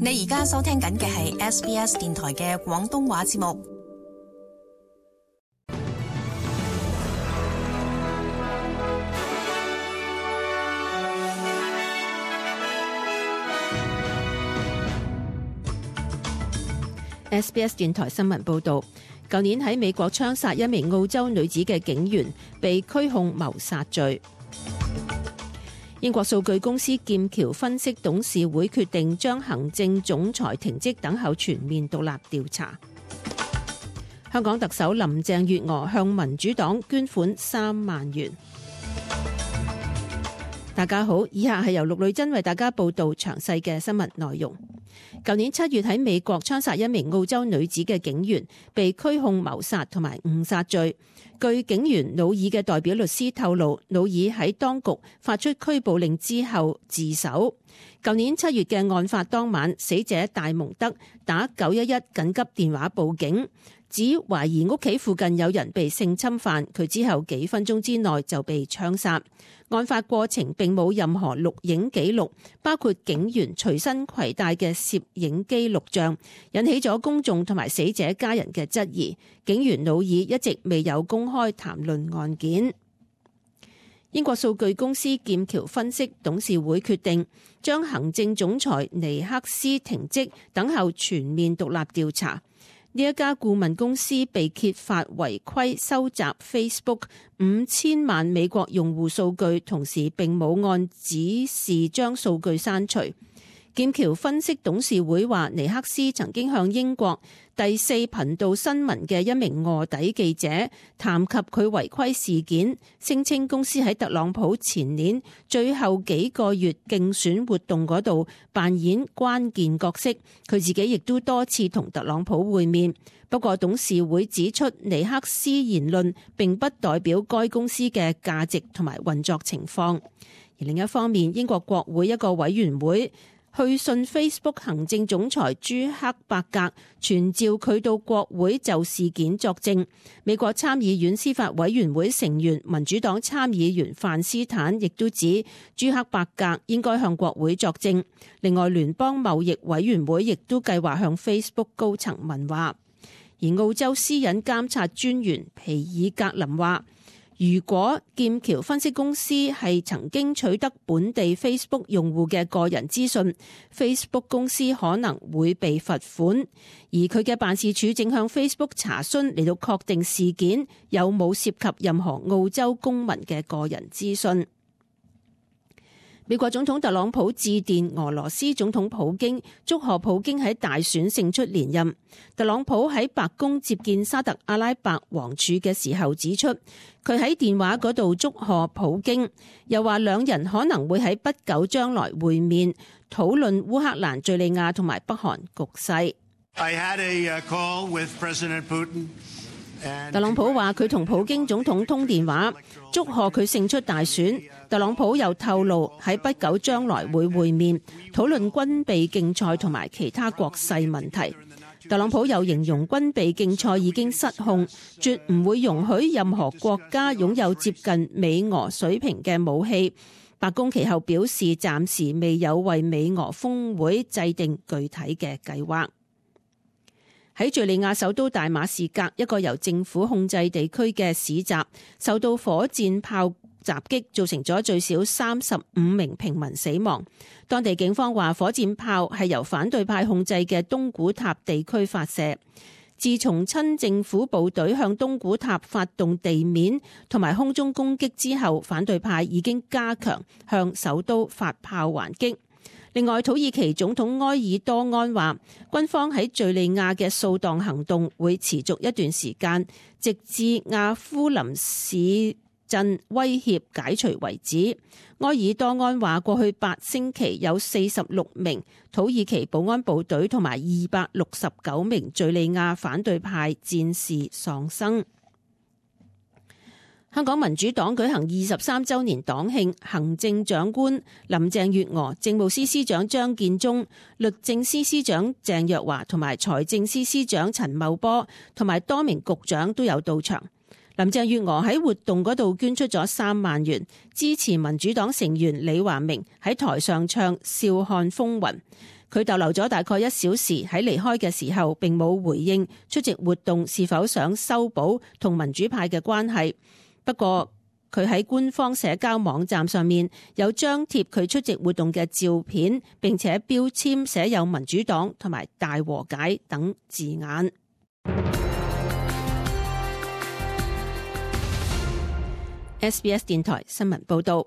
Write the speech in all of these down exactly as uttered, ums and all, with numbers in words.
你而家收聽緊嘅係 S B S 電台嘅廣東話節目。S B S 電台新聞報導，舊年喺美國槍殺一名澳洲女子嘅警員被拘控謀殺罪。英國數據公司劍橋分析董事會決定將行政總裁停職，等候全面獨立調查。香港特首林鄭月娥向民主黨捐款三萬元。大家好，以下係由陸女珍為大家報道詳細嘅新聞內容。舊年七月喺美國槍殺一名澳洲女子嘅警員被拘控謀殺同埋誤殺罪。據警員努爾嘅代表律師透露，努爾喺當局發出拘捕令之後自首。舊年七月嘅案發當晚，死者戴蒙德打九一一緊急電話報警，指懷疑屋企附近有人被性侵犯，佢之後幾分鐘之內就被槍殺。案發過程並冇任何錄影記錄，包括警員隨身攜帶嘅攝影機錄像，引起咗公眾同埋死者家人嘅質疑。警員努爾一直未有公開談論案件。英國數據公司劍橋分析董事會決定將行政總裁尼克斯停職，等候全面獨立調查。呢一家顧問公司被揭發違規收集 Facebook 五千萬美國用戶數據，同時並冇按指示將數據刪除。劍橋分析董事會話，尼克斯曾經向英國第四頻道新聞嘅一名臥底記者談及佢違規事件，聲稱公司喺特朗普前年最後幾個月競選活動嗰度扮演關鍵角色，佢自己亦都多次同特朗普會面。不過董事會指出，尼克斯言論並不代表該公司嘅價值同埋運作情況。而另一方面，英國國會一個委員會去信 Facebook 行政總裁朱克伯格，傳召佢到國會就事件作證。美國參議院司法委員會成員民主黨參議員范斯坦亦都指朱克伯格應該向國會作證。另外，聯邦貿易委員會亦都計劃向 Facebook 高層問話。而澳洲私隱監察專員皮爾格林話，如果劍橋分析公司係曾經取得本地 Facebook 用戶嘅個人資訊， Facebook 公司可能會被罰款，而佢嘅辦事處正向 Facebook 查詢嚟到確定事件有冇涉及任何澳洲公民嘅個人資訊。美國總統特朗普致電俄羅斯總統普京，祝賀普京喺大選勝出連任。特朗普喺白宮接見沙特阿拉伯王儲嘅時候指出，佢喺電話嗰度祝賀普京，又話兩人可能會喺不久將來會面，討論烏克蘭、敘利亞同埋北韓局勢。I had a call with President Putin. 特朗普話佢同普京總統通電話，祝賀佢勝出大選。特朗普又透露喺不久將來會會面，討論軍備競賽同埋其他國際問題。特朗普又形容軍備競賽已經失控，絕唔會容許任何國家擁有接近美俄水平嘅武器。白宮其後表示，暫時未有為美俄峰會制定具體嘅計劃。喺敘利亞首都大馬士革一個由政府控制地區嘅市集，受到火箭炮襲擊，造成咗最少三十五名平民死亡。當地警方話，火箭炮係由反對派控制嘅東古塔地區發射。自從親政府部隊向東古塔發動地面同埋空中攻擊之後，反對派已經加強向首都發炮還擊。另外，土耳其總統埃爾多安話，軍方喺敘利亞嘅掃蕩行動會持續一段時間，直至阿夫林市鎮威脅解除為止。埃爾多安話，過去八星期有四十六名土耳其保安部隊同埋二百六十九名敘利亞反對派戰士喪生。香港民主黨舉行二十三週年黨慶，行政長官林鄭月娥、政務司司長張建宗、律政司司長鄭若驊同埋財政司司長陳茂波同埋多名局長都有到場。林鄭月娥喺活動嗰度捐出咗三萬元，支持民主黨成員李華明喺台上唱《笑看風雲》。佢逗留咗大概一小時，喺離開嘅時候並冇回應出席活動是否想修補同民主派嘅關係。不過佢喺官方社交網站上面有張貼佢出席活動嘅照片，並且標籤寫有民主黨同埋大和解等字眼。S B S 電台新聞報道。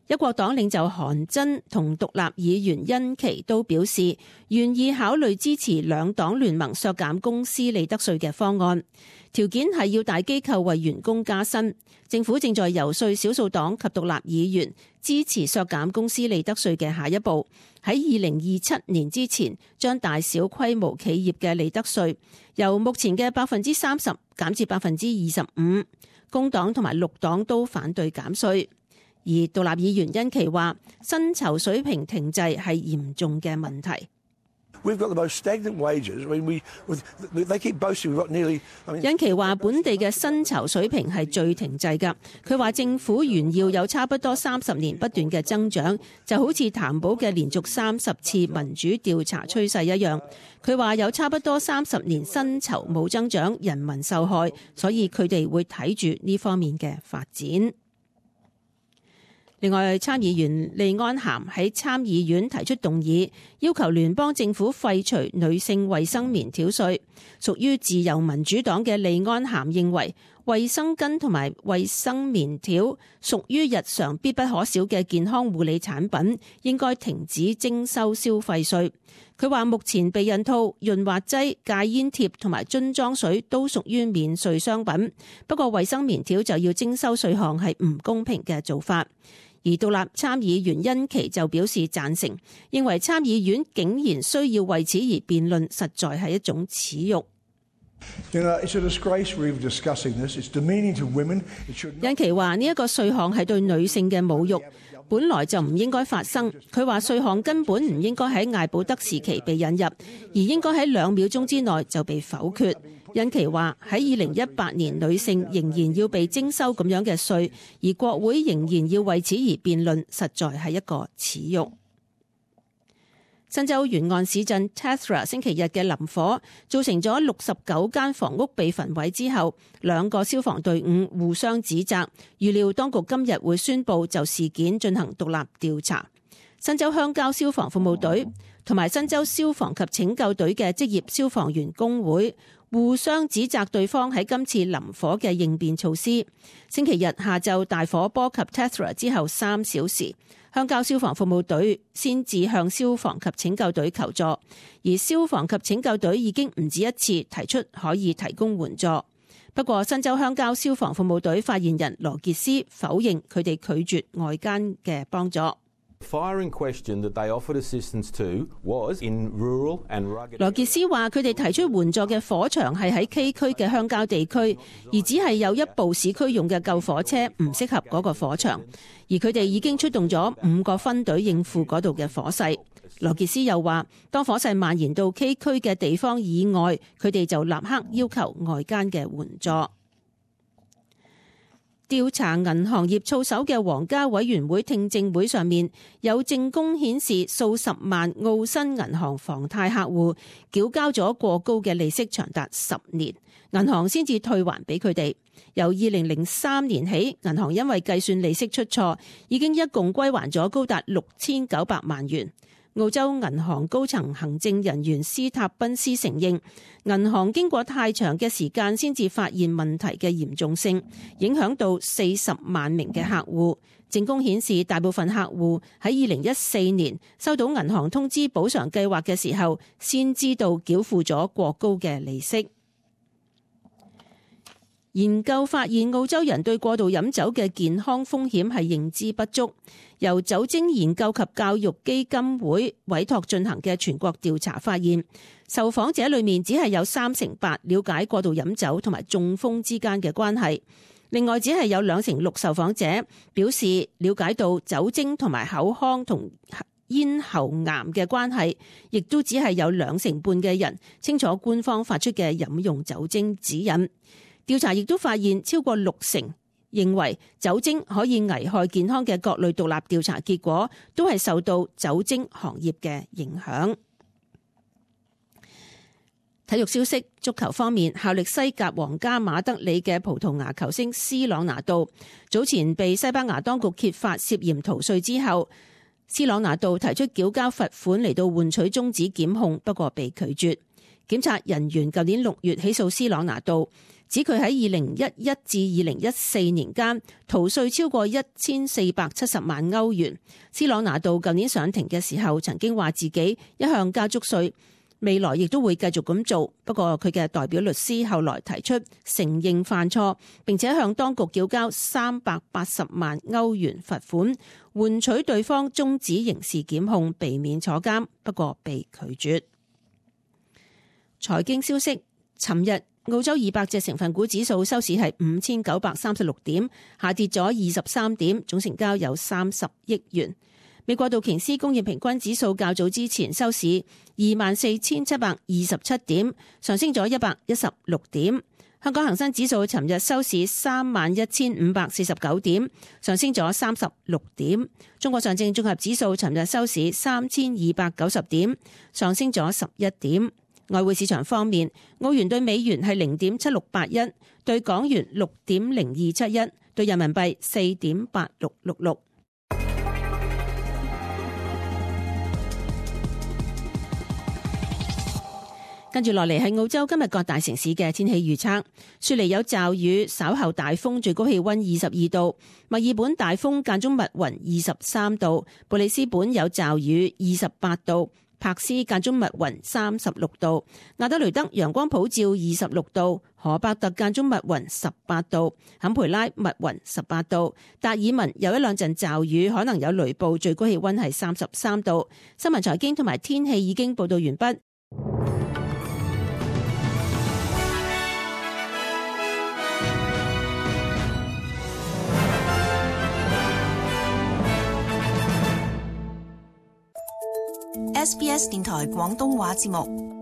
一國黨領袖韓真同獨立議員殷琪都表示願意考慮支持兩黨聯盟削減公司利得稅嘅方案，條件係要大機構為員工加薪。政府正在游說少數黨及獨立議員支持削減公司利得稅嘅下一步，喺二零二七年之前將大小規模企業嘅利得稅由目前嘅百分之三十減至百分之二十五。工黨同埋綠黨都反對減稅。而獨立議員殷琪話，薪酬水平停滯係嚴重嘅問題。殷琪話，本地嘅薪酬水平係最停滯㗎。佢話政府炫耀有差不多三十年不斷嘅增長，就好似譚寶嘅連續三十次民主調查趨勢一樣。佢話有差不多三十年薪酬冇增長，人民受害，所以佢哋會睇住呢方面嘅發展。另外，參議員利安咸喺參議院提出動議，要求聯邦政府廢除女性衛生棉條稅。屬於自由民主黨嘅利安咸認為，衛生巾同埋衛生棉條屬於日常必不可少嘅健康護理產品，應該停止徵收消費稅。佢話目前避孕套、潤滑劑、戒煙貼同埋樽裝水都屬於免稅商品，不過衛生棉條就要徵收稅項係唔公平嘅做法。而獨立參議員殷琪就表示贊成，認為參議院竟然需要為此而辯論，實在係一種恥辱。殷琪話呢一個稅項係對女性嘅侮辱，本來就唔應該發生。佢話稅項根本唔應該喺艾保德時期被引入，而應該喺兩秒鐘之內就被否決。殷琪話喺二零一八年，女性仍然要被徵收咁樣嘅稅，而國會仍然要為此而辯論，實在係一個恥辱。新州沿岸市鎮 Tethra 星期日嘅林火造成咗六十九間房屋被焚毀之後，兩個消防隊伍互相指責，預料當局今日會宣布就事件進行獨立調查。新州鄉郊消防服務隊同埋新州消防及拯救隊嘅職業消防員工會互相指責對方喺今次林火嘅應變措施。星期日下晝大火波及 Tethra 之後三小時，鄉郊消防服務隊先至向消防及拯救隊求助，而消防及拯救隊已經唔止一次提出可以提供援助。不過新州鄉郊消防服務隊發言人羅傑斯否認佢哋拒絕外間嘅幫助。羅傑斯話：佢哋提出援助嘅火場係喺崎嶇嘅鄉郊地區，而只係有一部市區用嘅救火車唔適合嗰個火場，而佢哋已經出動咗五個分隊應付嗰度嘅火勢。羅傑斯又話：當火勢蔓延到崎嶇嘅地方以外，佢哋就立刻要求外間嘅援助。調查銀行業操守嘅皇家委員會聽證會上面，有證供顯示數十萬澳新銀行房貸客戶繳交咗過高嘅利息長達十年，銀行先至退還俾佢哋。由二零零三年起，銀行因為計算利息出錯，已經一共歸還咗高達六千九百萬元。澳洲銀行高層行政人員斯塔賓斯承認，銀行經過太長嘅時間先至發現問題嘅嚴重性，影響到四十萬名嘅客戶。證供顯示，大部分客戶喺二零一四年收到銀行通知補償計劃嘅時候，先知道繳付咗過高嘅利息。研究發現，澳洲人對過度飲酒嘅健康風險係認知不足。由酒精研究及教育基金會委託進行嘅全國調查發現，受訪者裏面只係有三成八了解過度飲酒同埋中風之間嘅關係。另外，只係有兩成六受訪者表示了解到酒精同埋口腔同咽喉癌嘅關係，亦都只係有兩成半嘅人清楚官方發出嘅飲用酒精指引。調查亦都發現，超過六成認為酒精可以危害健康嘅各類獨立調查結果，都係受到酒精行業嘅影響。體育消息，足球方面，效力西甲皇家馬德里嘅葡萄牙球星斯朗拿度早前被西班牙當局揭發涉嫌逃稅之後，斯朗拿度提出繳交罰款嚟到換取終止檢控，不過被拒絕。檢察人員舊年六月起訴斯朗拿度，指佢喺二零一一至二零一四年間逃稅超過一千四百七十萬歐元。斯朗拿度舊年上庭嘅時候曾經話自己一向交足稅，未來亦都會繼續咁做，不過佢嘅代表律師後來提出承認犯錯，並且向當局繳交三百八十萬歐元罰款，換取對方終止刑事檢控，避免坐監，不過被拒絕。財經消息，尋日澳洲二百隻成分股指數收市係五千九百三十六點，下跌咗二十三點，總成交有三十億元。美國道瓊斯工業平均指數較早之前收市二萬四千七百二十七點，上升咗一百一十六點。香港恒生指數尋日收市三萬一千五百四十九點，上升咗三十六點。中國上證綜合指數尋日收市三千二百九十點，上升咗十一點。外匯市場方面，澳元對美元係零點七六八一，對港元六點零二七一，對人民幣四點八六六六。跟住落嚟係澳洲今日各大城市嘅天氣預測。雪梨有驟雨，稍後大風，最高氣溫二十二度；墨爾本大風間中密雲，二十三度；布里斯本有驟雨，二十八度；柏斯間中密雲，三十六度；亞德雷德陽光普照，二十六度；荷伯特間中密雲，十八度；坎培拉密雲，十八度；達爾文有一兩陣驟雨，可能有雷暴，最高氣溫係三十三度。新聞財經同埋天氣已經報道完畢。S B S 電台廣東話節目。